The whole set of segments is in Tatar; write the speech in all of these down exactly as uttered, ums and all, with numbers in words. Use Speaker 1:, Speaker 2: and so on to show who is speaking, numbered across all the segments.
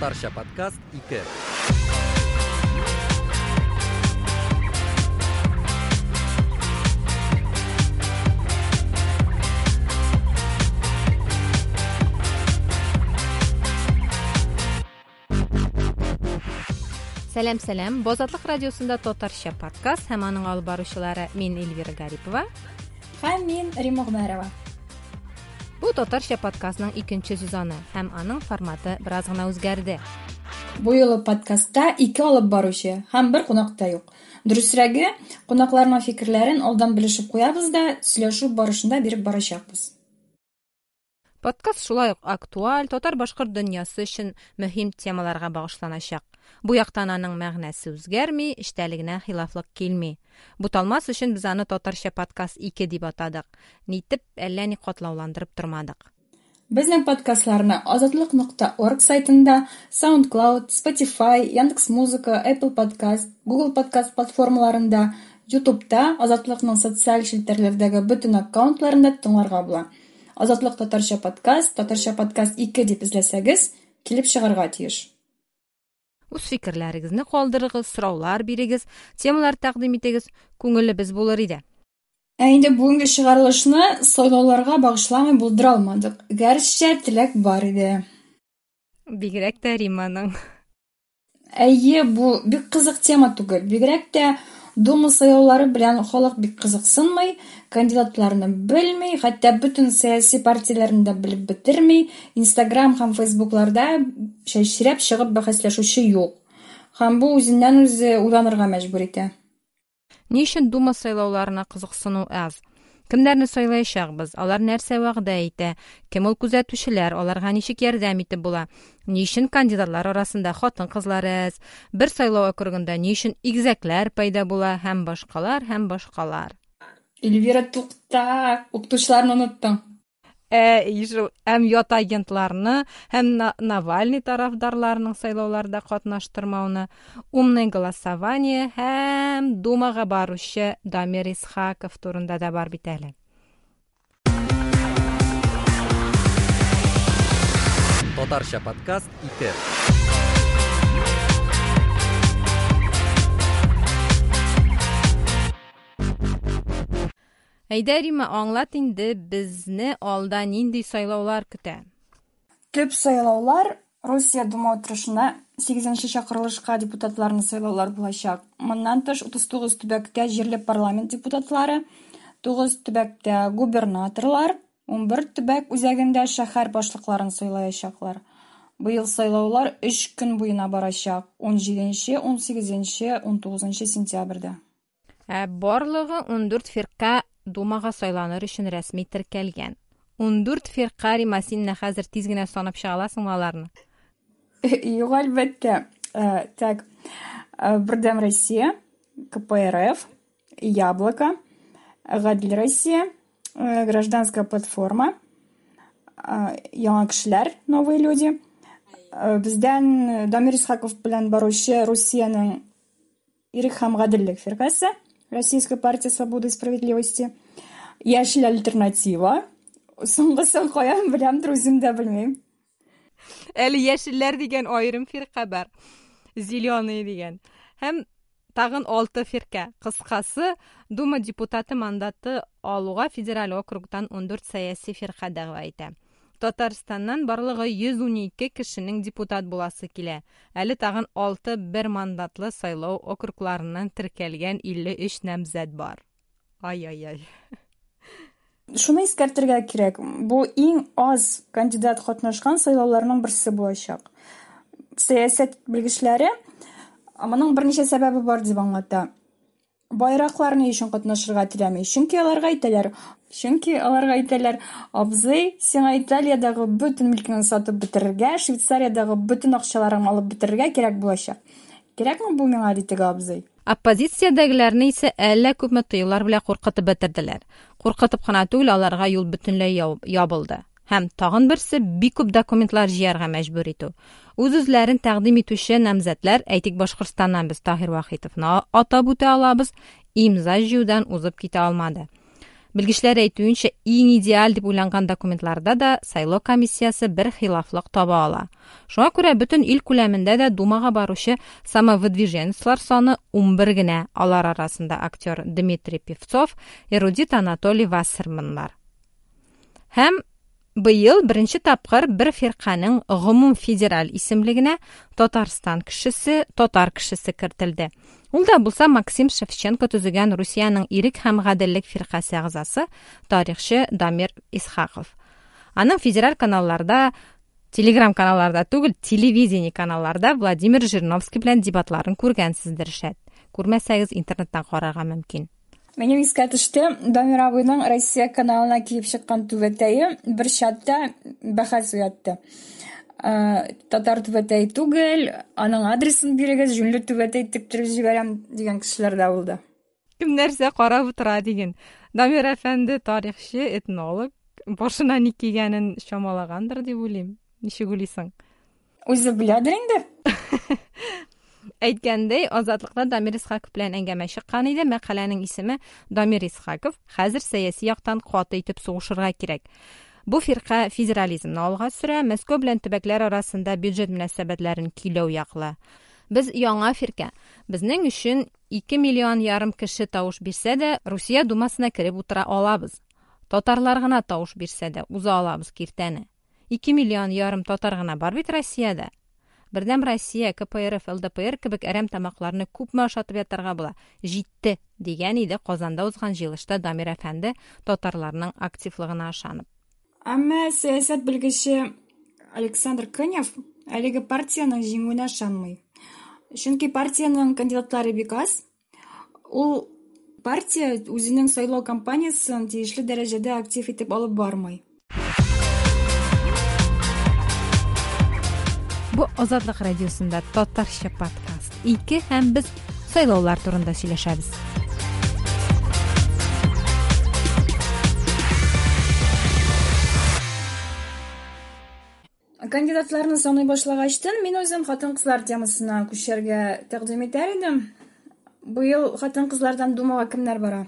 Speaker 1: Татарча подкаст ике.
Speaker 2: Сәлам, сәлам. Бу Азатлык радиосында Татарча подкаст һәм аның алып баручылары мин Эльвира Гарипова
Speaker 3: һәм мин Рима Гомәрова.
Speaker 2: Бу Татарча подкастның икенче сезоны һәм аның форматы бераз гына үзгәрде.
Speaker 3: Бу юлы подкастта ике алып баручы һәм бер кунак та юк. Дөресрәге, кунакларның фикерләрен алдан белешеп куябыз да, сөйләшү барышында биреп барачакбыз.
Speaker 2: Подкаст шулай ук актуаль, татар-башкорт дөньясы өчен мөһим темаларга багышланачак. Бу яктан аның мәгънәсе үзгәрми, эчтәлегенә хилафлык килми. Буталмас өчен без аны Татарча подкаст ике дип атадык. Нитеп әллә ни катлауландырып тормадык.
Speaker 3: Безнең подкастларны азатлык нокта орг сайтында, SoundCloud, Spotify, Яндекс.Музыка, Apple Podcast, Google Podcast платформаларында, YouTube'та, Азатлыкның социаль челтәрләрдәге бөтен аккаунтларында тыңларга була. Азатлык Татарча подкаст, Татарча подкаст ике дип эзләсәгез, килеп чыгарга тиеш.
Speaker 2: Үз фикерләрегезне калдырыгыз, сораулар бирегез, темалар тәкъдим итегез, күңелебез булыр иде.
Speaker 3: Ә инде бүгенге чыгарылышны сайлауларга багышламый булдыра алмадык. Гәрчә теләк бар иде.
Speaker 2: Бигрәк тә Риманың.
Speaker 3: Әйе, бу бик кызык тема түгел. Бигрәк тә Дума сайлаулары белән халык бик кызыксынмый, кандидатларны белми, хәтта бөтен сәяси партияләрне дә белеп бетерми, Инстаграм һәм Фейсбукларда чәчрәп чыгып бәхәсләшүче юк. Һәм бу үзеннән үзе уйланырга мәҗбүр итә.
Speaker 2: Ни өчен Дума сайлауларына кызыксыну аз? Кемнәрне сайлаячакбыз? Алар нәрсә вәгъдә итә? Кем ул күзәтүчеләр? Аларга ничек ярдәм итеп була? Ни өчен кандидатлар арасында хатын-кызлар әз? Бер сайлау округында ни өчен игезәкләр пайда була? Һәм башкалар, һәм башкалар.
Speaker 3: Эльвира, тукта, укытучыларны оныттың.
Speaker 2: Ә, ишел, һәм ят агентларны, һәм Навальный тарафдарларының сайлауларда катнаштырмауны, умное голосование һәм Думага баручы Дамир Исхаков турында да бар бит әле.
Speaker 1: Татарча подкаст ике.
Speaker 2: Әйдә, Рима, аңлат инде, безне алда нинди сайлаулар көтә?
Speaker 3: Төп сайлаулар Русия Дума утырышына сигезенче чакырылышка депутатларны сайлаулар булачак. Моннан тыш утыз тугыз төбәктә җирле парламент депутатлары, тугыз төбәктә губернаторлар, унбер төбәк үзәгендә шәһәр башлыкларын сайлаячаклар. Быел сайлаулар өч көн буена барачак: ун җиденче, ун сигезенче, ун тугызынчы сентябрьдә.
Speaker 2: Ә барлыгы ундүрт фирка Думага сайланыр өчен рәсми теркәлгән. Ундүрт фирка, Рима, син менә хәзер тиз генә санап чыга аласыңмы аларны?
Speaker 3: Юк, әлбәттә. Так, Бердәм Россия, Ка Пэ Эр Эф, Яблоко, Гадел Россия, Гражданская платформа, Яңа кешеләр, Новые люди. Бездән Дамир Исхаков белән баручы Русиянең Ирек һәм Гаделлек фиркасе, Российская партия свободы и справедливости, Яшел альтернатива. Соңгысын каян беләмдер, үзем дә белмим.
Speaker 2: Әле яшелләр дигән аерым фирка бар. Зеленые дигән. Һәм тагын алты фирка. Кыскасы, Дума депутаты мандаты алуга федераль округтан ундүрт сәяси фирка дәгъва итә. Татарстаннан барлыгы йөз унике кешенең депутат буласы килә. Әле тагын алты бер мандатлы сайлау округларыннан теркәлгән илле өч намзәт бар. Ай-ай-ай.
Speaker 3: Шуны искәртергә кирәк, бу иң аз кандидат катнашкан сайлауларның берсе булачак. Сәясәт белгечләре моның берничә сәбәбе бар дип аңлата. Байраклар ни өчен катнашырга теләми? Чөнки аларга әйтәләр, чөнки аларга әйтәләр, абзый, сиңа Италиядәге бөтен милкеңне сатып бетерергә, Швейцариядәге бөтен акчаларыңны алып бетерергә кирәк булачак. Кирәкме бу миңа, ди теге абзый?
Speaker 2: Оппозициядәгеләрне исә әллә күпме тыюлар белән куркытып бетерделәр. Куркытып кына түгел, аларга юл бөтенләй ябылды. Һәм тагын берсе бик күп документлар җыярга мәҗбүр итү. Үз-үзләрен тәкъдим итүче намзәтләр, әйтик, Башкортстаннан без Таһир Вахитовны атап үтә алабыз, имза җыюдан узып китә алмады. Белгечләр әйтүенчә, иң идеаль дип уйланган документларда да сайлау комиссиясе бер хилафлык таба ала. Шуңа күрә бөтен ил күләмендә дә Думага баручы самовыдвиженецлар саны унбер генә. Алар арасында актер Дмитрий Певцов, эрудит Анатолий Вассерманнар. Һәм быел беренче тапкыр бер фирканең гомум федераль исемлегенә Татарстан кешесе, татар кешесе кертелде. Ул да булса Максим Шевченко төзегән Русиянең Ирек һәм гаделлек фиркасе әгъзасы, тарихчы Дамир Исхаков. Аның федераль каналларда, телеграм каналларда түгел, телевидение каналларда Владимир Жириновский белән дебатларын күргәнсездер шәт. Күрмәсәгез, интернеттан карарга мөмкин.
Speaker 3: Минем искә төште, Дамир абыйның Россия каналына килеп чыккан түбәтәе бер чатта бәхәс уятты. Татар түбәтәе түгел, аның адресын бирегез, җүнле түбәтәй тектереп җибәрәм дигән кешеләр дә булды.
Speaker 2: Кем нәрсә карап утыра диген. Дамир әфәнде тарихчы, этнолог, башына ни кигәнен чамалагандыр дип уйлыйм. Ничек уйлыйсың?
Speaker 3: Үзе беләдер инде.
Speaker 2: Әйткәндәй, Азатлыкта Дамир Исхаков белән әңгәмә чыккан иде. Мәкаләнең исеме Дамир Исхаков хәзер сәяси яктан каты итеп сугышырга кирәк. Бу фирка федерализмны алга сөрә, Мәскәү белән төбәкләр арасында бюджет мөнәсәбәтләрен көйләү яклы. Без яңа фирка. Безнең өчен ике миллион ярым кеше тавыш бирсә дә, Русия думасына кереп утыра алабыз. Татарлар гына тавыш бирсә дә, уза алабыз киртәне. Ике миллион ярым татар гына бар бит Россиядә. Бердәм Россия, К П Р Ф, Л Д П Р кебек әрәм тамакларны күпме ашатып ятарга була. Җитте, дигән иде Казанда узган җыелышта Дамир әфәнде татарларның активлыгына ышанып.
Speaker 3: Әмма сәясәт белгече Александр Конев әлеге партиянең җиңүенә ышанмый. Чөнки партиянең кандидатлары бик аз. Ул партия үзенең сайлау кампаниясен тиешле дәрәҗәдә актив итеп алып бармый.
Speaker 2: Бу Азатлык радиосында татарча подкаст ике һәм без сайлаулар турында сөйләшәбез.
Speaker 3: Кандидатларны саный башлагачтын, мин үзем хатын-кызлар темасына күчәргә тәкъдим итәр идем. Быел хатын-кызлардан Думага кемнәр бара?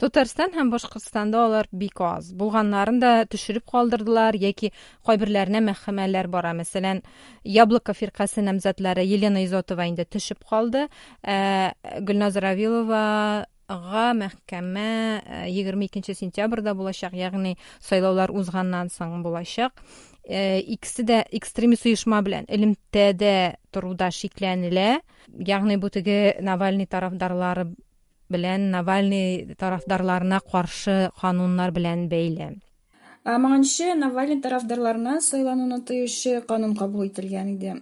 Speaker 2: Татарстан һәм Башкортстанда алар бик аз. Булганнарын да төшереп калдырдылар яки кайберләренә мәхкәмәләр бара. Мәсәлән, Яблоко фиркасе намзәтләре Елена Изотова инде төшеп калды. Ә, Гөлназ Равиловага мәхкәмә егерме икенче сентябрьдә булачак, ягъни сайлаулар узганнан соң булачак. Икесе дә экстремист оешма белән элемтәдә торуда шикләнелә. Ягъни бу теге Навальный тарафдарлары белән Навальный тарафдарларына каршы кануннар белән бәйле.
Speaker 3: Моңынчы Навальный тарафдарларына сайлануны тыючы канун кабул ителгән иде.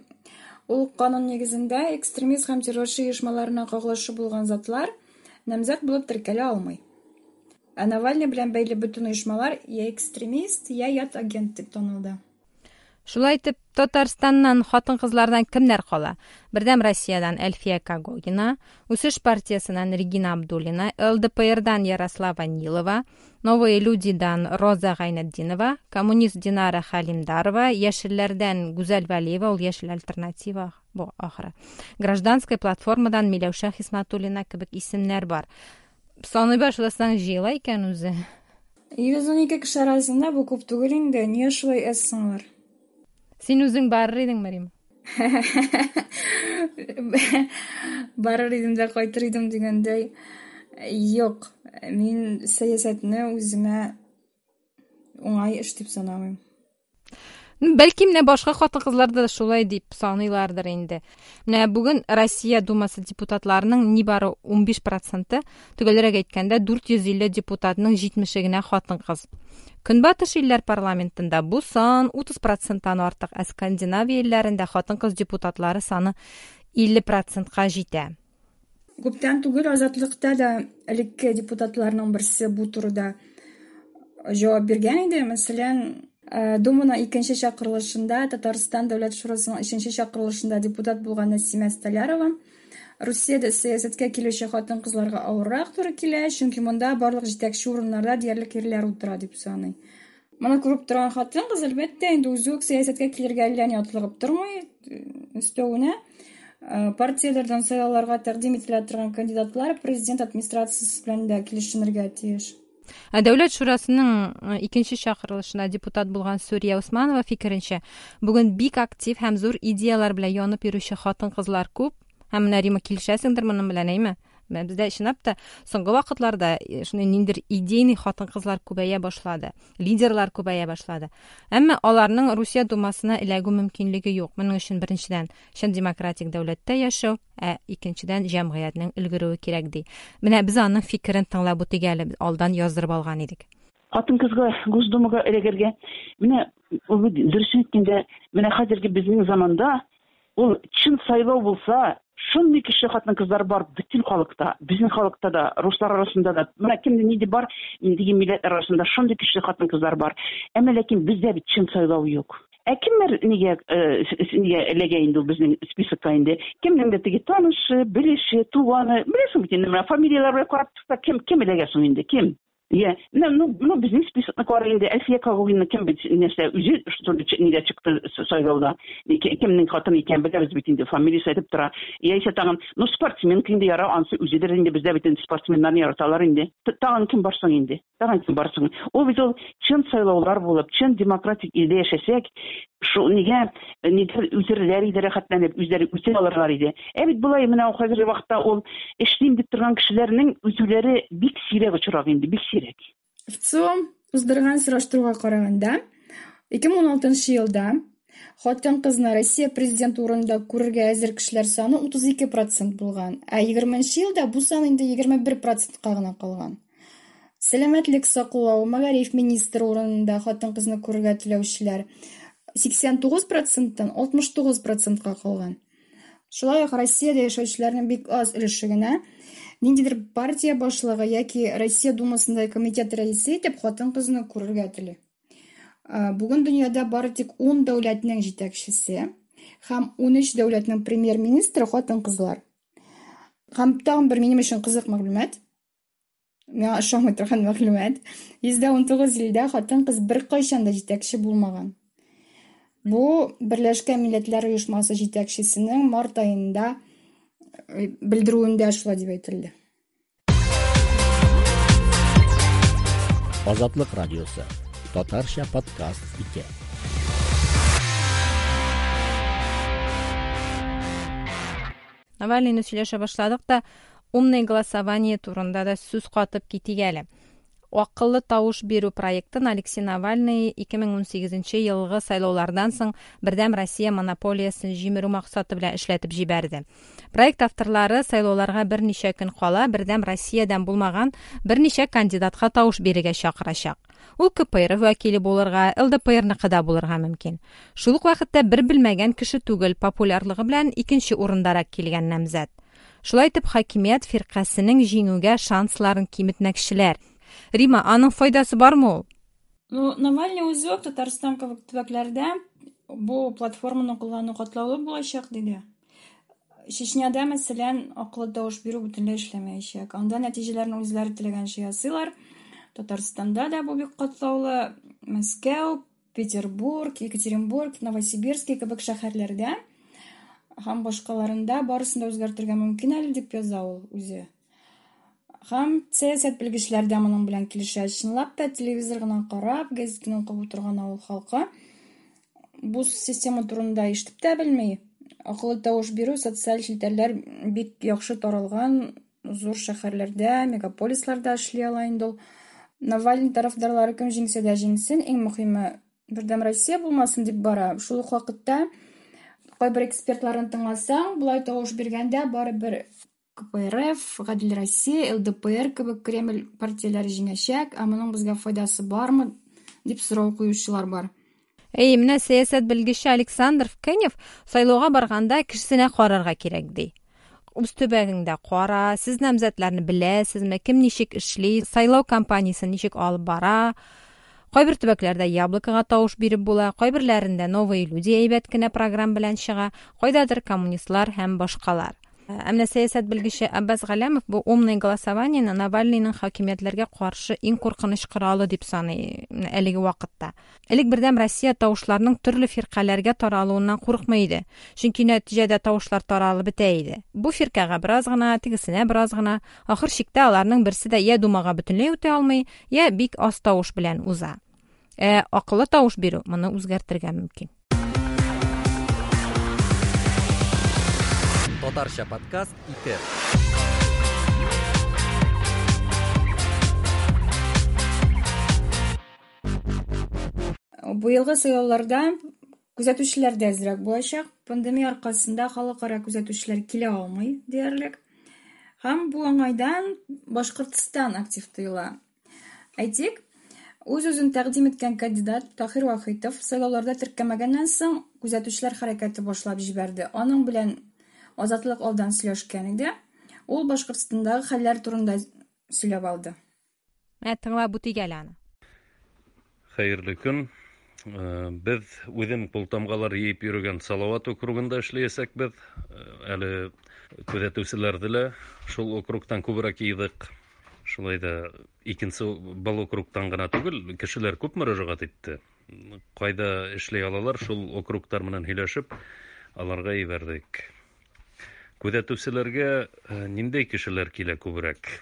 Speaker 3: Ул канун нигезендә экстремист һәм террорчы оешмаларына кагылышы булган затлар намзәт булып теркәлә алмый. Ә Навальный белән бәйле бөтен оешмалар я экстремист, я ят агент дип танылды.
Speaker 2: Шулай итеп, Татарстаннан хатын-кызлардан кемнәр кала? Бердәм Россиядан Әлфия Когогина, Үсеш партиясеннән Регина Абдуллина, Л Д П Рдан Ярослава Нилова, Новые людидан Роза Гайнетдинова, коммунист Динара Халимдарова, Яшелләрдән Гүзәл Вәлиева, ул Яшел альтернатива бу ахыры. Гражданская платформадан Миләүшә Хисматуллина кебек исемнәр бар. Саный башласаң җыела икән үзе.
Speaker 3: Йөз ун ике кеше арасында бу күп түгел инде. Нигә шулай әз соң алар?
Speaker 2: Син үзең барыр идең, Мәрим?
Speaker 3: Барыр идем дә кайтыр идем дигәндәй. Юк, мин сәясәтне үземә уңай эш дип санамыйм.
Speaker 2: Бәлки менә башка хатын-кызлар да шулай дип саныйлардыр инде. Менә бүген Россия Думасы депутатларының нибары унбиш проценты, төгәлрәк әйткәндә дүрт йөз илле депутатның җитмеше генә хатын-кыз. Көнбатыш илләр парламентында бу сан утыз проценттан артык, ә Скандинавия илләрендә хатын-кыз депутатлары саны илле процентка җитә.
Speaker 3: Күптән түгел Азатлыкта да элекке депутатларның берсе бу турыда җавап биргән иде. Мәсәлән, Думаның икенче чакырылышында, Татарстан Дәүләт Шурасының өченче чакырылышында депутат булган Нәсимә Столярова Русиядә сәясәткә килүче хатын-кызларга авыррак туры килә, чөнки монда барлык җитәкче урыннарда диярлек ирләр утыра дип саный. Моны күреп торган хатын-кыз, әлбәттә, инде үзе үк сәясәткә килергә әллә ни атлыгып тормый. Өстәвенә, партияләрдән сайлауларга тәкъдим ителә торган кандидатлар президент администрациясе белән дә килешенергә тиеш.
Speaker 2: Ә Дәүләт шурасының икенче чакырылышына депутат булган Сүрия Усманова фикеренчә, бүген бик актив һәм зур идеялар белән янып йөрүче хатын-кызлар күп. Һәм менә Рима килешәсеңдер моның белән, әйме? Бездә чынлап та соңгы вакытларда шундый ниндидер идейный хатын-кызлар күбәя башлады, лидерлар күбәя башлады. Әмма аларның Русия думасына эләгү мөмкинлеге юк. Моның өчен беренчедән чын демократик дәүләттә яшәү, ә икенчедән җәмгыятьнең өлгерүе кирәк ди. Менә без аның фикерен тыңлап үтик әле, алдан яздырып алган идек.
Speaker 4: Хатын-кызга Госдумага эләгергә, менә дөресен әйткәндә, менә хәзерге безнең заманда ул чын сайлау булса, шундый кеше хатын-кызлар бар бөтен халыкта, безнең халыкта да, руслар арасында да, менә кемдә нинди бар, инде милләтләр арасында шундый кеше хатын-кызлар бар. Әмма ләкин бездә бит чын сайлау юк. Ә кемнәр нигә нигә эләгә инде ул безнең списокка инде? Кемнең дә теге танышы, белеше, туганы, беләсең бит инде, менә фамилияләр белән карап чыкса, кем кем эләгә соң инде, кем? Я, ну, ну, ну, безнең списокны кара инде, Әлфия Когогина кем бит, нәрсә, үзе что нигә чыкты сайлауда, кемнең хатыны икән беләбез бит инде, фамилиясе әйтеп тора. Яисә тагын, ну, спортсменка инде яра, ансы үзедер инде, бездә бит инде спортсменнарны яраталар инде. Тагын кем бар соң инде? Тагын кем бар соң? Ул бит ул чын сайлаулар булып, чын демократик илдә яшәсәк, шул нигә нидер үзләре иде рәхәтләнеп, үзләре үсә алырлар иде. Ә бит болай менә хәзерге вакытта ул эшлим дип торган кешеләрнең үзләре бик сирәк очрак инде, бик сирәк.
Speaker 3: ВЦИОМ уздырган сораштыруга караганда, ике мең уналтынчы елда хатын-кызны Россия президенты урынында күрергә әзер кешеләр саны утыз ике процент булган, ә егерменче елда бу сан инде егерме бер процентка гына калган. Сәламәтлек саклау, мәгариф министры урынында хатын-кызны күрергә теләүчеләр сиксән тугыз проценттан алтмыш тугыз процентка калган. Шулай ук Россиядә яшәүчеләрнең бик аз өлеше генә ниндидер партия башлыгы яки Россия Думасында комитет рәисе итеп хатын-кызны күрергә тели. Бүген дөньяда бары тик ун дәүләтнең җитәкчесе һәм унөч дәүләтнең премьер-министры хатын-кызлар. Һәм тагын бер минем өчен кызык мәгълүмат. Миңа ошамый торган мәгълүмат. Йөздә унтугыз илдә хатын-кыз беркайчан да җитәкче булмаган. Бу Берләшкән Милләтләр Оешмасы җитәкчесенең март аенда белдерүендә шулай дип әйтелде.
Speaker 5: Азатлык радиосы. Татарча подкаст ике.
Speaker 2: Навальныйны сөйләшә башладык та, умное голосование турында да сүз катып китик әле. Акыллы тавыш бирү проектын Алексей Навальный ике мең унсигезенче елгы сайлаулардан соң Бердәм Россия монополиясен җимерү максаты белән эшләтеп җибәрде. Проект авторлары сайлауларга берничә көн кала Бердәм Россиядән булмаган берничә кандидатка тавыш бирергә чакырачак. Ул К П Р вәкиле булырга, Л Д П Р-ныкы да булырга мөмкин. Шул ук вакытта бер белмәгән кеше түгел, популярлыгы белән икенче урындарак килгән намзәт. Шулай итеп хакимият фиркасының җиңүгә шансларын киметмәкчеләр. Рима, аның файдасы бармы ул?
Speaker 3: Ну, Навальный үзе үк Татарстан кебек төбәкләрдә бу платформаны куллану катлаулы булачак диде. Чечняда, мәсәлән, акыллы тавыш бирү бөтенләй эшләмәячәк. Анда нәтиҗәләрне үзләре теләгәнчә ясыйлар. Татарстанда да бу бик катлаулы. Мәскәү, Петербург, Екатеринбург, Новосибирск кебек шәһәрләрдә һәм башкаларында барысын да үзгәртергә мөмкин әле дип яза ул үзе. Һәм сәясәт белгечләре дә моның белән килешә. Чынлап та телевизор гына карап, газетаны укып утырган авыл халкы бу система турында ишетеп тә белми. Акыллы тавыш бирү социаль челтәрләр бик яхшы таралган зур шәһәрләрдә, мегаполисларда эшли ала инде ул. Навальный тарафдарлары кем җиңсә дә җиңсен, иң мөһиме Бердәм Россия булмасын дип бара. Шул ук вакытта кайбер экспертларны тыңласаң, болай тавыш биргәндә барыбер К П Р Ф, Гадел Россия, Л Д П Р кебек Кремль партияләре җиңәчәк, ә моның безгә файдасы бармы дип сорау куючылар бар.
Speaker 2: Әй, менә сәясәт белгече Александр Кенев сайлауга барганда кешесенә карарга кирәк ди. Үз төбәгеңдә кара, сез намзәтләрне беләсезме, кем ничек эшли, сайлау кампаниясен ничек алып бара. Кайбер төбәкләрдә Яблокога тавыш биреп була, кайберләрендә Новые люди әйбәт кенә программа белән чыга, кайдадыр коммунистлар һәм башкалар. Ә менә сәясәт белгече Аббас Галәмов бу умное голосованиены Навальныйның хакимиятләргә каршы иң куркыныч коралы дип саный әлеге вакытта. Элек Бердәм Россия тавышларының төрле фиркаләргә таралуыннан курыкмый иде. Чөнки нәтиҗәдә тавышлар таралып бетә иде. Бу фиркәгә бераз гына, тегесенә бераз гына, ахыр чиктә аларның берсе дә я думага бөтенләй үтә алмый, я бик аз тавыш белән уза. Ә акыллы тавыш бирү моны үзгәртергә мөмкин.
Speaker 1: Татарча подкаст ике.
Speaker 3: Быелгы сайлауларда күзәтүчеләр дә әзрәк булачак. Пандемия аркасында халыкара күзәтүчеләр килә алмый диярлек. Һәм бу уңайдан Башкортстан актив тоела. Әйтик, үз-үзен тәкъдим иткән кандидат Таһир Вахитов сайлауларда теркәмәгәннән соң күзәтүчеләр хәрәкәте башлап җибәрде. Аның белән Азатлык алдан сөйләшкән иде. Ул Башкортстандагы хәлләр турында сөйләп алды.
Speaker 2: Менә тыңлап үтик әле аны.
Speaker 6: Хәерле көн. Без үзем култамгалар йыйып йөргән Салават округында эшләячәкбез. Әле күзәтүчеләрде лә шул округтан күбрәк йыйдык. Шулай да икенче был округтан гына түгел, кешеләр күп мөрәҗәгать итте. Кайда эшләй алалар, шул округтар менән һөйләшеп, аларга җибәрдек. Күзәтүчеләргә ниндәй кешеләр килә күбрәк?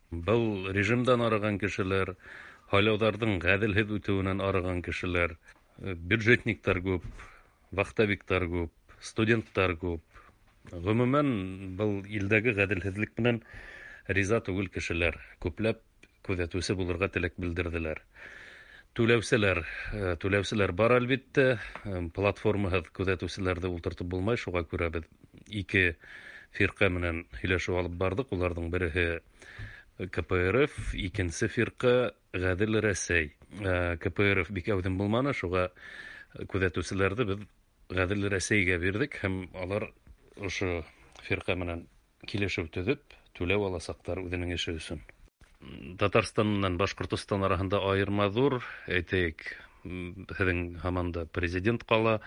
Speaker 6: Был режимдан арыган кешеләр, һайлауларның гаделһез үтүеннән арыган кешеләр, бюджетниктар күп, вахтовиктар күп, студенттар күп. Гомумән, был илдәге гаделһезлек менән риза түгел кешеләр күпләп күзәтүче булырга теләк белдерделәр. Түләүселәр, түләүселәр бар әлбиттә, платформаһыз күзәтүселәрҙе ултыртып булмай, шуға күрә беҙ ике фирҡә менән һөйләшеү алып барҙыҡ. Уларҙың береһе К П Р Ф, икенсе фирҡә Ғәҙел Рәсәй. К П Р Ф бик әүҙем булманы, шуға күҙәтеүселәрҙе беҙ Ғәҙел Рәсәйгә бирҙек һәм алар ошо фирҡә менән килешеү төҙөп, түләү аласаҡтар үҙенең эше өсөн. Татарстан менән Башҡортостан араһында айырма ҙур, әйтәйек, һеҙҙең һаман да президент ҡала,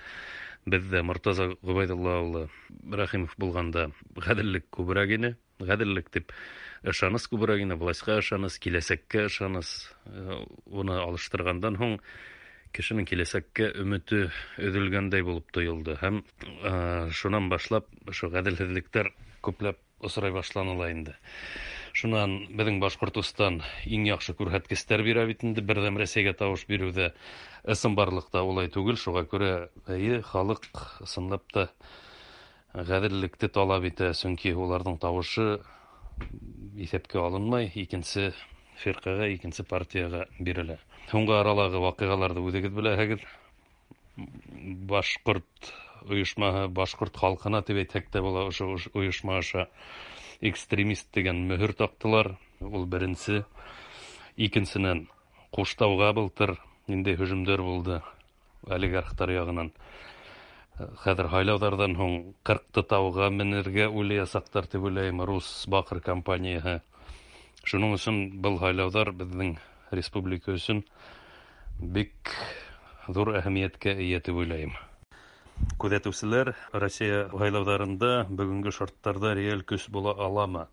Speaker 6: беҙҙә Мортаза Ғөбәйҙулла улы Рәхимов булғанда ғәҙеллек күберәк ине. Ғәҙеллек тип ышаныс күберәк ине, властьҡа ышаныс, киләсәккә ышаныс. Уны алыштырғандан һуң кешенең киләсәккә өмөтө өҙөлгәндәй булып тойолдо. Һәм шунан башлап ошо ғәҙелһеҙлектәр күпләп осрай башланы ла инде. Шунан беҙҙең Башҡортостан иң яҡшы күрһәткестәр бирә бит инде Берҙәм Рәсәйгә тауыш биреүҙә. Ысынбарлыҡта улай түгел, шуға күрә эйе халыҡ ысынлап та ғәҙеллекте талап итә, сөнки уларҙың тауышы иҫәпкә алынмай, икенсе фирҡәгә, икенсе партияға бирелә. Һуңғы аралағы ваҡиғаларҙы үҙегеҙ беләһегеҙ. Башҡорт ойошмаһы, башҡорт халҡына тип әйтһәк тә була, ошо ойошма аша экстремист тигән мөһөр таҡтылар. Ул беренсе. Икенсенән, Ҡуштауға былтыр ниндәй һөжүмдәр булды олигархтар яғынан. Хәҙер һайлауҙарҙан һуң ҡырҡты тауға менергә уйлаясаҡтар тип уйлайым, Рус Баҡыр компанияһы. Шуның өсөн был һайлауҙар беҙҙең республика өсөн бик ҙур әһәмиәткә эйә тип уйлайым. Күҙәтеүселәр Россия һайлауҙарында бөгөнгө шарттарҙа реаль көс була аламы?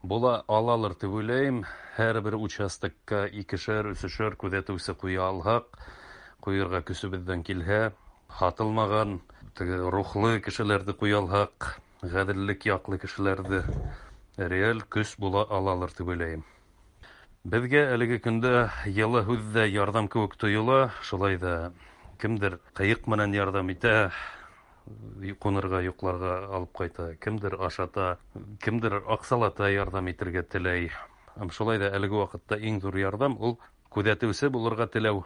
Speaker 6: Була алалыр тип уйлайым. Һәр бер участокка икешәр, өсөшәр күҙәтеүсе ҡуя алһаҡ, ҡуйырға көсөбөҙҙән килһә, һатылмаған теге рухлы кешеләрҙе ҡуя алһаҡ, ғәҙеллек яҡлы кешеләрҙе, реаль көс була алалыр тип уйлайым. Беҙгә әлеге көндә йылы һүҙ ҙә ярҙам кеүек тойола, шулай ҙа кемдер ҡыйыҡ менән ярҙам итә, ҡунырға, йоҡларға алып ҡайта, кемдер ашата, кемдер аҡсалата ярҙам итергә теләй. Һәм шулай ҙа әлеге ваҡытта иң ҙур ярҙам ул күҙәтеүсе булырға теләү.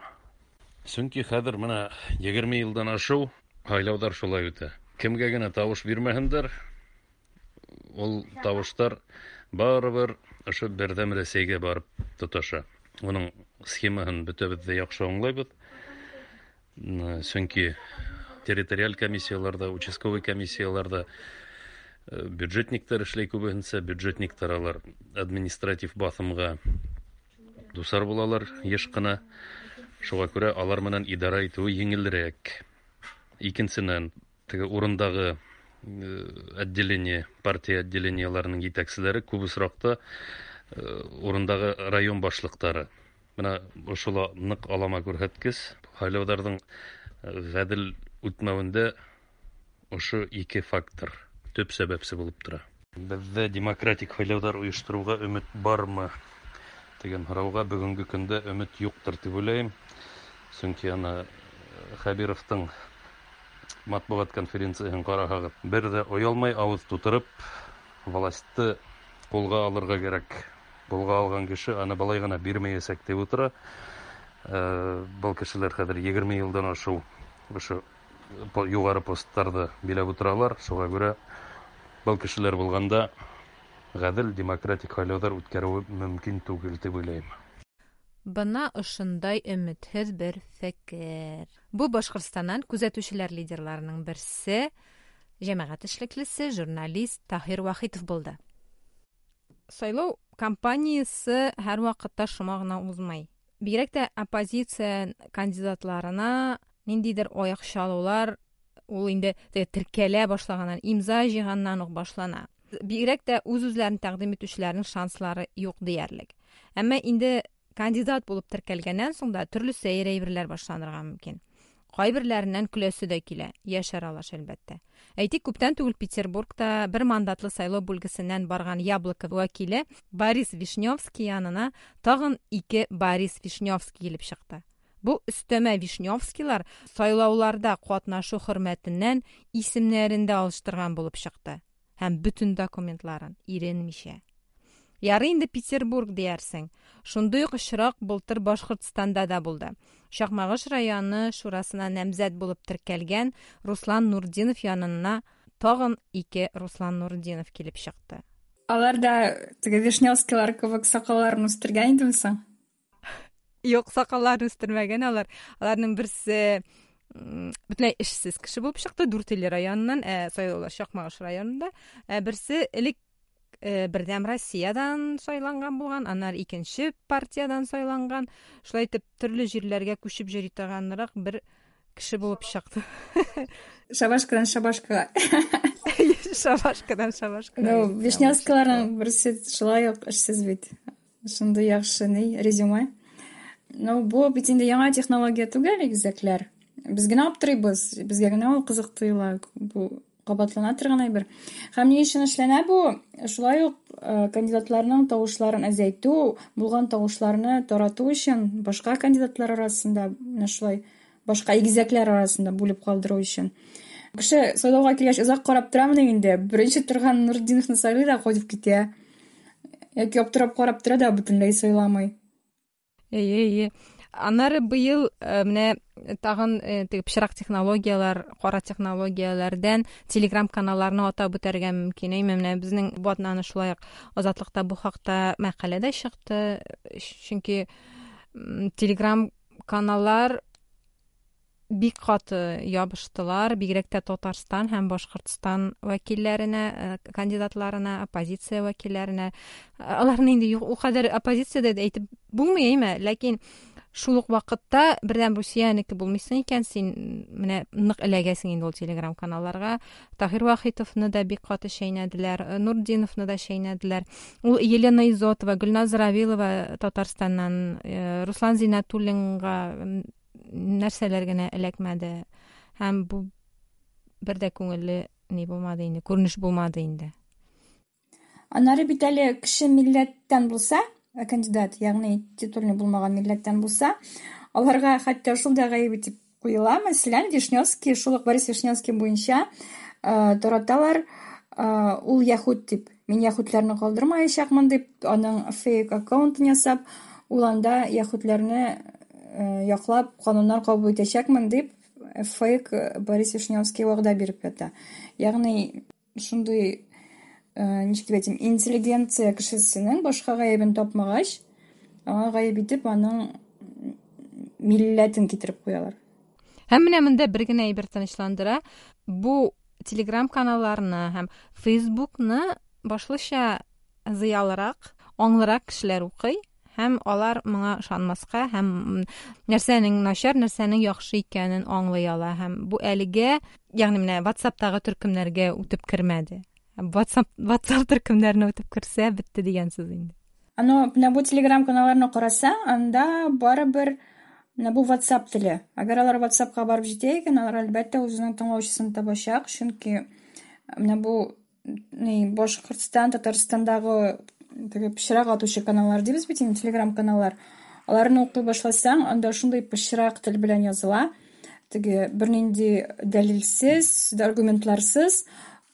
Speaker 6: Сөнки хәҙер бына егерме йылдан ашыу һайлауҙар шулай үтә. Кемгә генә тауыш бирмәһендәр, ул тауыштар барыбер ошо Берҙәм Рәсәйгә барып тоташа. Уның схемаһын бөтәбеҙ ҙә яҡшы аңлайбыҙ. Сөнки территориаль комиссияларҙа, участковый комиссияларҙа бюджетниктар эшләй күбеһенсә, бюджетниктар алар административ баҫымға дусар булалар йыш ҡына. Шуға күрә алар менән идара итеүе еңелерәк. Икенсенән, теге урындағы отделение, партия отделениеларының җитәкчеләре күп очракта урындагы район башлыклары. Менә ошол нык алама күрһәткеч. Һайлауларның гадел үтмәвендә ошо ике фактор төп сәбәпсе булып тора. Бездә демократик һайлаулар оештыруга өмет бармы дигән сорауга бүгенге көндә өмет юктыр дип уйлыйм. Чөнки аны Хәбировтың матбугат конференцияһын караһагыз, бер дә оялмай авыз тутырып, властьты кулга алырга кирәк. Кулга алган кеше аны болай гына бирмәячәк дип утыра. Был кешеләр хәзер егерме елдан ашыу ошо югары постларда биләп утыралар. Шуңа күрә был кешеләр булганда гадел демократик һайлаулар үткәрүе мөмкин түгел дип уйлыйм.
Speaker 2: Бына ошондай өмөтһөҙ бер фекер. Бу Башҡортостандан күҙәтеүселәр лидерларының берсе, йәмәғәт эшлеклесе, журналист Таһир Вахитов булды. Сайлау кампаниясы һәр ваҡытта шома ғына уҙмай. Бигерәк тә оппозиция кандидатларына ниндәйҙер аяҡ чалыулар ул инде теркәлә башлағаннан, имза йыйғаннан уҡ башлана. Бигерәк тә үҙ-үҙләрен тәҡдим итеүселәрҙең шанслары юҡ тиерлек. Әммә инде кандидат булып теркәлгәннән соң да төрлө сәйер әйберләр башланырға мөмкин. Кайберләреннән көләсе дә килә, яшь аралаш әлбәттә. Әйтик, күптән түгел Петербургта бер мандатлы сайлау бүлгесеннән барган Яблоко вәкиле Борис Вишневский янына тагын ике Борис Вишневский килеп чыкты. Бу өстәмә Вишневскийлар сайлауларда катнашу хөрмәтеннән исемнәрен дә алыштырган булып чыкты һәм бөтен документларын иренмичә. Ярый инде Петербург диярсең. Шундый ук очрак былтыр Башкортстанда да булды. Чакмагыш районы шурасына намзәт булып теркәлгән Руслан Нурдинов янына тагын ике Руслан Нурдинов килеп чыкты.
Speaker 3: Алар да теге Вишневскийлар кебек сакалларын үстергән идеме соң?
Speaker 2: Юк, сакалларын үстермәгән алар. Аларның берсе бөтенләй эшсез кеше булып чыкты Дүртөйле районыннан, ә сайлаулар Чакмагыш районында. Ә берсе элек Бердәм Россиядан сайланган булган, аннары икенче партиядан сайланган. Шулай итеп төрле җирләргә күчеп йөри торганрак бер кеше булып чыкты.
Speaker 3: Шабашкадан шабашкага.
Speaker 2: Шабашкадан шабашкага.
Speaker 3: Ну, Вишневскийларның берсе шулай ук эшсез бит. Шундый яхшы ни резюме. Ну, бу бит инде яңа технология түгел, игезәкләр. Без генә аптырыйбыз, безгә генә ул кызык тоела. Бу кабатлана торган әйбер. Һәм ни өчен эшләнә бу? Шулай ук кандидатларның тавышларын әзәйтү, булган тавышларны тарату өчен башка кандидатлар арасында, менә шулай башка игезәкләр арасында бүлеп калдыру өчен. Кеше сайлауга килгәч озак карап торамы инде? Беренче торган Нурдиновны сайлый да кайтып китә. Яки аптырап карап тора да бөтенләй сайламый.
Speaker 2: Әйе, әйе. Аннары быел менә тагын теге пычрак технологиялар, кара технологияләрдән Telegram каналларны атап үтәргә мөмкин. Әйме, менә безнең бу атнаны шулай ук Азатлыкта бу хакта мәкалә дә чыкты. Чөнки Telegram каналлар бик каты ябыштылар, бигрәк тә Татарстан һәм Башкортстан вәкилләренә, кандидатларына, оппозиция вәкилләренә. Аларны инде ул кадәр оппозициядә дә әйтеп булмый, әйме, ләкин шул ук вакытта Бердәм Русиянеке булмыйсың икән, син менә нык эләгәсең инде ул Telegram каналларга. Таһир Вахитовны да бик каты шәйнәделәр, Нурдиновны да шәйнәделәр. Ул Елена Изотова, Гөлназ Равилова Татарстаннан, Руслан Зиннәтуллинга нәрсәләр генә эләкмәде. Һәм бу бер дә күңелле ни булмады инде, күренеш булмады инде.
Speaker 3: Аннары бит әле кеше милләттән булса, кандидат, ягъни титульный булмаган милләттән булса, аларга хәтта шул да гаеп итеп куела. Мәсәлән, Вишневский, шул ук Борис Вишневский буенча тараталар, ул яһүд дип, мин яһүдләрне калдырмаячакмын дип, аның фейк аккаунтын ясап, ул анда яһүдләрне яклап кануннар кабул итәчәкмен дип, фейк Борис Вишневский вәгъдә биреп ята. Ягъни шундый ничек дип әйтим, интеллигенция кешесенең башка гаебен тапмагач, аңа гаеп итеп аның милләтен китереп куялар.
Speaker 2: Һәм менә монда бер генә әйбер тынычландыра. Бу Telegram каналларны һәм Facebookны башлыча зыялырак, аңлырак кешеләр укый Һәм алар моңа ышанмаска һәм нәрсәнең начар, нәрсәнең яхшы икәнен аңлый ала. Һәм бу әлегә, ягъни менә WhatsAppтагы төркемнәргә үтеп кермәде. WhatsApp, WhatsApp төркемнәренә үтеп керсә, бетте дигән сүз инде.
Speaker 3: Аны менә бу Telegram каналларны карасаң, анда барыбер менә бу WhatsApp теле. Әгәр алар WhatsAppка барып җитә икән, алар әлбәттә үзенең тыңлаучысын табачак, чөнки менә бу ни Башкортстан, Татарстандагы теге пычрак атучы каналлар дибез бит инде, Telegram каналлар. Аларны укый башласаң, анда шундый пычрак тел белән языла. Теге бернинди дәлилсез, аргументларсыз,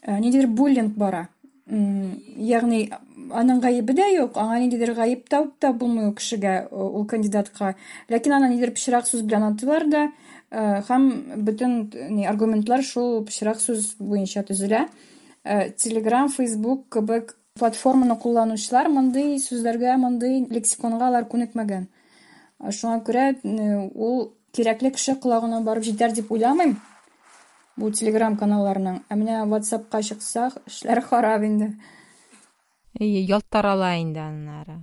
Speaker 3: ниндидер буллинг бара. Ягъни аның гаебе дә юк, аңа ниндидер гаеп табып та булмый ул кешегә, ул кандидатка. Ләкин аны ниндидер пычрак сүз белән атыйлар да, һәм бөтен ни аргументлар шул пычрак сүз буенча төзелә. Telegram, Facebook кебек платформаны кулланучылар мондый сүзләргә, мондый лексиконга алар күнекмәгән. Шуңа күрә ул кирәкле кеше колагына барып җитәр дип уйламыйм бу Telegram каналларының. Ә менә WhatsAppка чыксак, эшләр харап инде.
Speaker 2: Әйе, ялт тарала инде аннары.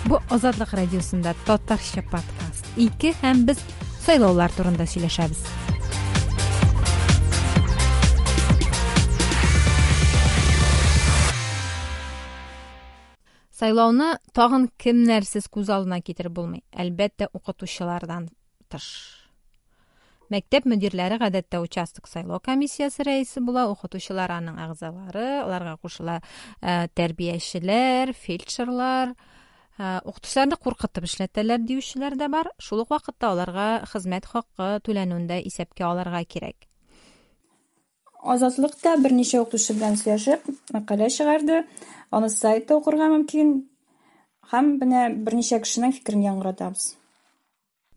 Speaker 2: Бу Азатлык радиосында татарча подкаст ике һәм без сайлаулар турында сөйләшәбез. Сайлауны тагын кемнәрсез күз алдына китереп булмый. Әлбәттә, укытучылардан тыш. Мәктәп мөдирләре гадәттә участок сайлау комиссиясе рәисе була, укытучылар аның әгъзалары, аларга кушыла тәрбиячеләр, фельдшерлар. Укытучыларны куркытып эшләтәләр диючеләр дә бар. Шул ук вакытта аларга хезмәт хакы түләнүен дә исәпкә алырга кирәк.
Speaker 3: Азатлыкта берничә укытучы белән сөйләшеп, мәкалә чыгарды. Аны сайтта укырга мөмкин. Һәм менә берничә кешенең фикерен яңгыратабыз.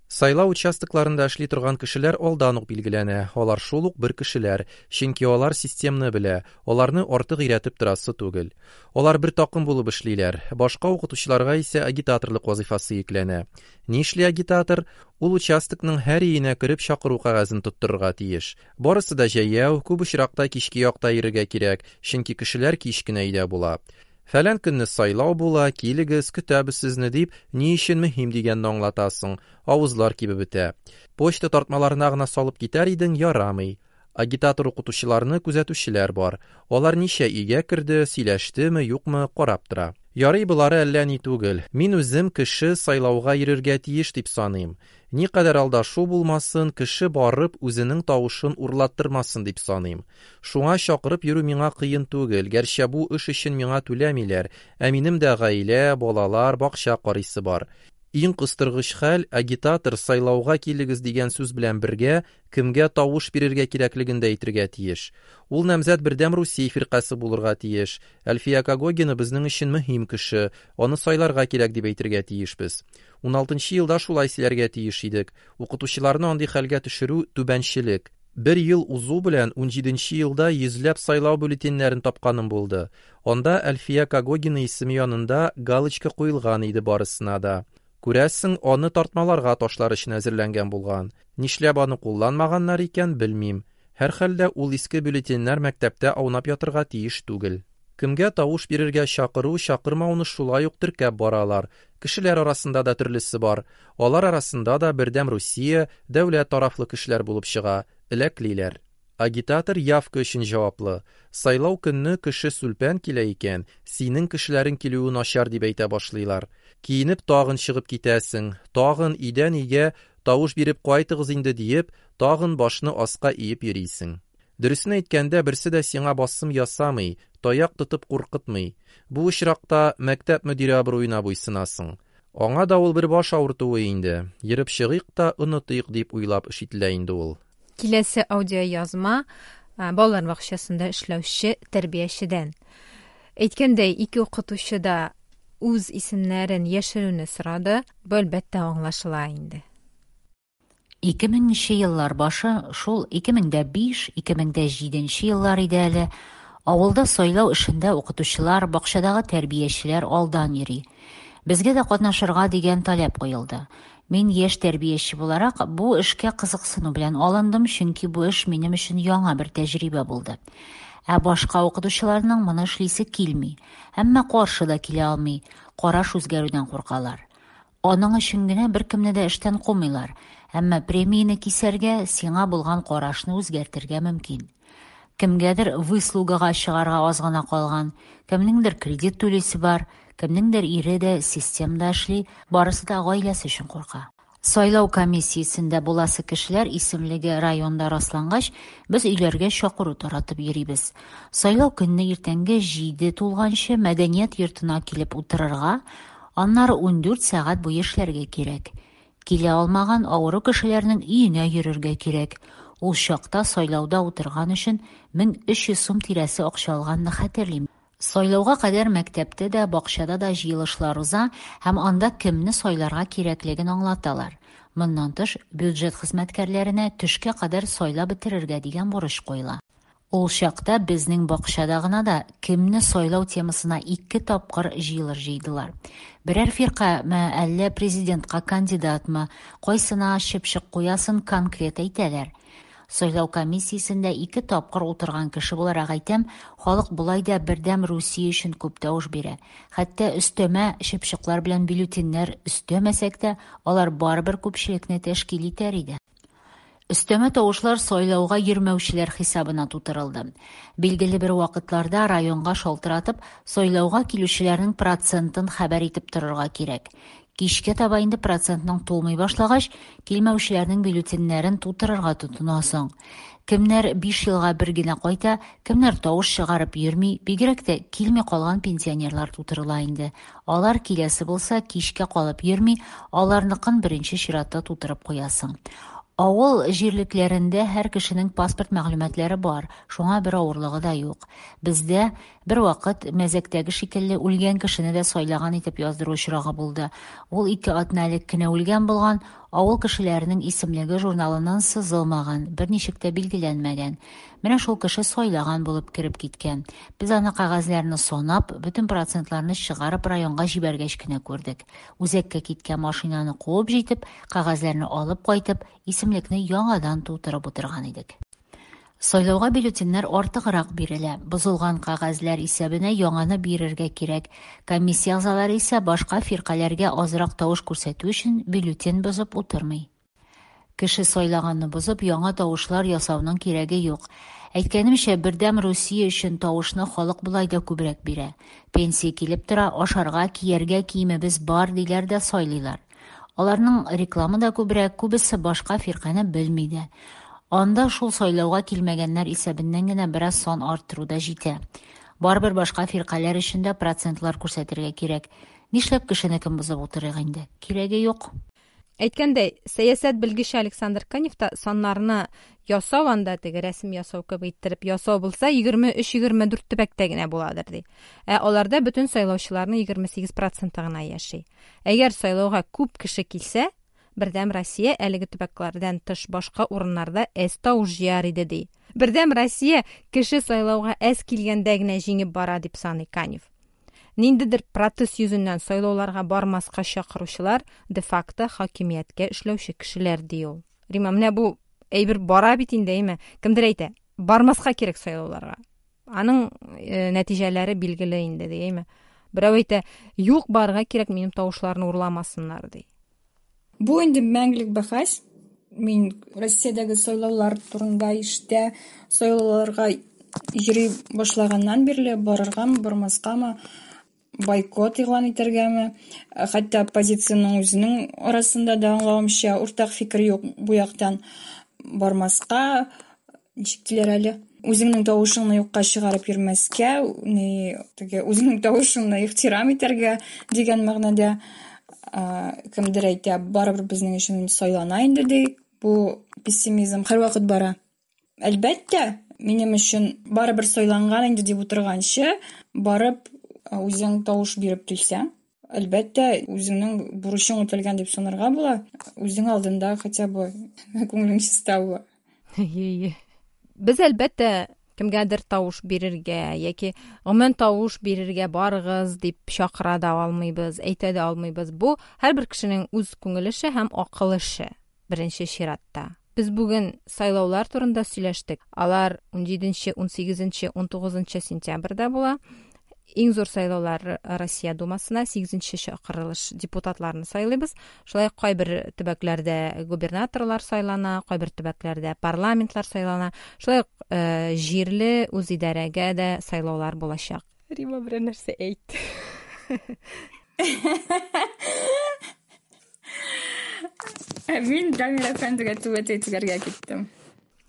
Speaker 7: Сайлау участокларында эшли торган кешеләр алдан ук билгеләнә. Алар шул ук бер кешеләр, чөнки алар системны белә, аларны артык өйрәтеп торасы түгел. Алар бер такым булып эшлиләр. Башка укытучыларга исә агитаторлык вазифасы йөкләнә. Нишли агитатор? Ул участокның һәр өенә кереп чакыру кәгазен тоттырырга тиеш. Барысы да җәяү, күп очракта кичке якта йөрергә кирәк, чөнки кешеләр кич кенә өйдә була. Фәлән көнне сайлау була, килегез, көтәбез сезне дип, ни өчен мөһим дигәнне аңлатасың, авызлар кибеп бетә. Почта тартмаларына гына салып китәр идең, ярамый. Агитатор укытучыларны күзәтүчеләр бар. Алар ничә өйгә керде, сөйләштеме, юкмы, карап тора. Ярый, болары әллә ни түгел. Мин үзем кеше сайлауга йөрергә тиеш дип саныйм. Никадәр алдашу булмасын, кеше барып үзенең тавышын урлаттырмасын дип саныйм. Шуңа чакырып йөрү миңа кыен түгел, гәрчә бу эш өчен миңа түләмиләр, ә минем дә гаилә, балалар, бакча карыйсы бар. Иң кыстыргыч хәл, агитатор сайлауга килегез дигән сүз белән бергә кемгә тавыш бирергә кирәклеген дә әйтергә тиеш. Ул намзәт Бердәм Русия фиркасе булырга тиеш. Әлфия Когогина безнең өчен мөһим кеше, аны сайларга кирәк дип әйтергә тиешбез. Уналтынчы елда шулай сөйләргә тиеш идек. Укытучыларны андый хәлгә төшерү түбәнчелек. Бер ел узу белән унҗиденче елда йөзләп сайлау бюллетеньнәрен тапканым булды. Анда Әлфия Когогина исеме янында галочка куелган иде барысына да. Күрәсең, аны тартмаларга ташлар өчен әзерләнгән булган. Нишләп аны кулланмаганнар икән, белмим. Һәр хәлдә ул иске бюллетеньнәр мәктәптә аунап ятырга тиеш түгел. Кемгә тавыш бирергә чакыру, чакырмауны шулай ук теркәп баралар. Кешеләр арасында да төрлесе бар. Алар арасында да Бердәм Русия, дәүләт тарафлы кешеләр булып чыга, эләклиләр. Агитатор явка өчен җаваплы. Сайлау көнне кеше сүлпән килә икән, синең кешеләрең килүе начар дип әйтә башлыйлар. Киенеп тагын чыгып китәсең, тагын өйдән өйгә тавыш биреп кайтыгыз инде диеп, тагын башны аска иеп йөрисең. Дөресен әйткәндә, берсе дә сиңа басым ясамый, таяк тотып куркытмый. Бу очракта мәктәп мөдире абруена буйсынасың. Аңа да ул бер баш авыртуы инде. Йөреп чыгыйк та онытыйк дип уйлап эш ителә инде ул.
Speaker 2: Киләсе аудиоязма балалар бакчасында эшләүче тәрбиячедән. Әйткәндәй, ике укытучы да үз исемнәрен яшерүне сорады. Бу әлбәттә аңлашыла инде.
Speaker 8: Ике меңенче еллар башы, шул ике мең дә биш, ике мең дә җиденче еллар иде әле. Авылда сайлау эшендә укытучылар, бакчадагы тәрбиячеләр алдан йөри. Безгә дә катнашырга дигән таләп куелды. Мин яшь тәрбияче буларак бу эшкә кызыксыну белән алындым, чөнки бу эш минем өчен яңа бер тәҗрибә булды. Ә башка укытучыларның моны эшлисе килми. Әмма каршы да килә алмый, караш үзгәрүдән куркалар. Аның өчен генә беркемне дә эштән кумыйлар, әмма премияне кисәргә, сиңа булган карашны үзгәртергә мөмкин. Кемгәдер выслугага чыгарга аз гына калган, кемнеңдер кредит түлисе бар, кемнеңдер ире дә системда эшли, барысы да гаиләсе өчен курка. Сайлау комиссиясендә буласы кешеләр исемлеге районда раслангач, без өйләргә чакыру таратып йөрибез. Сайлау көнне иртәнге җиде тулганчы мәдәният йортына килеп утырырга, аннары ундүрт сәгать буе эшләргә кирәк. Килә алмаган авыру кешеләрнең өенә йөрергә кирәк. Ул чакта сайлауда утырган өчен мең өч йөз сум тирәсе акча алганны хәтерлим. Сайлауга кадәр мәктәптә дә, бакчада да җыелышлар уза һәм анда кемне сайларга кирәклеген аңлаталар. Моннан тыш, бюджет хезмәткәрләренә төшкә кадәр сайлап бетерергә дигән бурыч куела. Ул чакта безнең бакчада гына да кемне сайлау темасына ике тапкыр җыелыш җыйдылар. Берәр фиркамы, әллә президентка кандидатмы, кайсына чыпчык куясын конкрет әйтәләр. Сайлау комиссиясендә ике тапкыр утырган кеше буларак әйтәм, халык болай да Бердәм Русия өчен күп тавыш бирә. Хәтта өстәмә чыпчыклар белән бюллетеньнәр өстәмәсәк тә, алар барыбер күпчелекне тәшкил итәр иде. Өстәмә тавышлар сайлауга йөрмәүчеләр хисабына тутырылды. Билгеле бер вакытларда районга шалтыратып, сайлауга килүчеләрнең процентын хәбәр итеп торырга кирәк. Кичкә таба инде процентның тулмый башлагач, килмәүчеләрнең бюллетеньнәрен тутырырга тотынасың. Кемнәр биш елга бер генә кайта, кемнәр тавыш чыгарып йөрми, бигрәк тә килми калган пенсионерлар тутырыла инде. Алар киләсе булса, кичкә калып йөрми, аларныкын беренче чиратта тутырып куясың. Авыл җирлекләрендә һәр кешенең паспорт мәгълүматлары бар, шуңа бер авырлыгы да юк. Бездә бер вакыт мәзәктәге шикелле үлгән кешене дә сайлаган итеп яздыру очрагы булды. Ул ике атна элек кенә үлгән булган, авыл кешеләренең исемлеге журналыннан сызылмаган, берничек тә билгеләнмәгән. Менә шул кеше сайлаган булып кереп киткән. Без аны кәгазьләрне санап, бөтен процентларны чыгарып районга җибәргәч кенә күрдек. Үзәккә киткән машинаны куып җитеп, кәгазьләрне алып кайтып, исемлекне яңадан тутырып утырган идек. Сайлауга бюллетеньнәр артыграк бирелә. Бозылган кәгазьләр исәбенә яңаны бирергә кирәк. Комиссия әгъзалары исә башка фиркаләргә азрак тавыш күрсәтү өчен бюллетень бозып утырмый. Кеше сайлаганны бозып, яңа тавышлар ясауның кирәге юк. Әйткәнемчә, Бердәм Русия өчен тавышны халык болай да күбрәк бирә. Пенсия килеп тора, ашарга, кияргә киемебез бар диләр дә сайлыйлар. Аларның рекламы да күбрәк, күбесе башка фиркане белми дә. Анда шул сайлауга килмәгәннәр исәбеннән генә бераз сан арттыру да җитә. Барыбер башка фиркаләр өчен дә процентлар күрсәтергә кирәк. Нишләп кешенекен бозып утырыйк инде? Кирәге юк.
Speaker 2: Әйткәндәй, сәясәт белгече Александр Канев та саннарны ясау анда теге рәсем ясау кебек иттереп ясау булса егерме өч егерме дүрт төбәктә генә буладыр ди. Ә аларда бөтен сайлаучыларның егерме сигез проценты гына яши. Әгәр сайлауга күп кеше килсә, Бердәм Россия әлеге төбәкләрдән тыш башка урыннарда әз тавыш җыяр иде ди. Бердәм Россия кеше сайлауга әз килгәндә генә җиңеп бара дип саный Канев. Ниндидер протест йөзеннән сайлауларга бармаска чакыручылар де-факто хакимияткә эшләүче кешеләр ди ул. Рима, менә бу әйбер бара бит инде, әйме? Кемдер әйтә, бармаска кирәк сайлауларга. Аның нәтиҗәләре билгеле инде, ди, әйме? Берәү әйтә, юк, барырга кирәк, минем тавышларны урламасыннар, ди.
Speaker 3: Бу инде мәңгелек бәхәс. Мин Россиядәге сайлаулар турында ишетә, сайлауларга йөри башлаганнан бирле барыргамы, бармаскамы, бойкот игълан итәргәме, хәтта оппозициянең үзенең арасында да аңлавымча уртак фикер юк бу яктан. Бармаска, ничек диләр әле, үзеңнең тавышыңны юкка чыгарып йөрмәскә, ни, теге үзеңнең тавышыңны ихтирам итәргә дигән мәгънәдә. Кемдер әйтә, барыбер безнең өчен сайлана инде ди. Бу пессимизм һәрвакыт бара. Әлбәттә, минем өчен барыбер сайланган инде дип утырганчы, барып үзең тавыш биреп килсәң, әлбәттә, үзеңнең бурычың үтәлгән дип санарга була. Үзең алдында хотя бы күңелең чиста була.
Speaker 2: Е-е. Без әлбәттә кемгәдер тавыш бирергә яки гомумән тавыш бирергә барыгыз дип чакыра да алмыйбыз, әйтә дә алмыйбыз. Бу һәрбер кешенең үз күңел эше һәм акыл эше беренче чиратта. Без бүген сайлаулар турында сөйләштек. Алар унҗиденче, унсигезенче, унтугызынчы сентябрьдә була. Иң зур сайлаулар Россия Думасына сигезенче чакырылыш депутатларны сайлыйбыз. Шулай ук кайбер төбәкләрдә губернаторлар сайлана, кайбер төбәкләрдә парламентлар сайлана. Шулай ук э, җирле үзидарәгә дә сайлаулар булачак. Рима, берәр нәрсә әйт.
Speaker 3: Ә мин Дамир әфәндегә түбәтәй тегәргә киттем.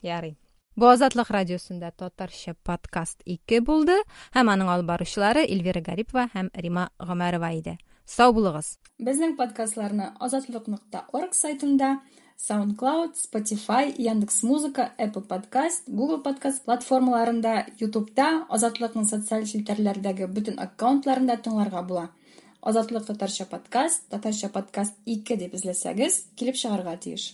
Speaker 2: Ярый. Бу Азатлык радиосында татарча подкаст ике булды һәм аның алып баручылары Эльвира Гарипова һәм Рима Гомәрова иде. Сау булыгыз.
Speaker 3: Безнең подкастларны азатлык нокта орг сайтында, SoundCloud, Spotify, Яндекс.Музыка, Apple Podcast, Google Podcast платформаларында, YouTube'да, Азатлыкның социаль челтәрләрдәге бөтен аккаунтларында тыңларга була. Азатлык татарча подкаст, татарча подкаст ике дип эзләсәгез, килеп чыгарга тиеш.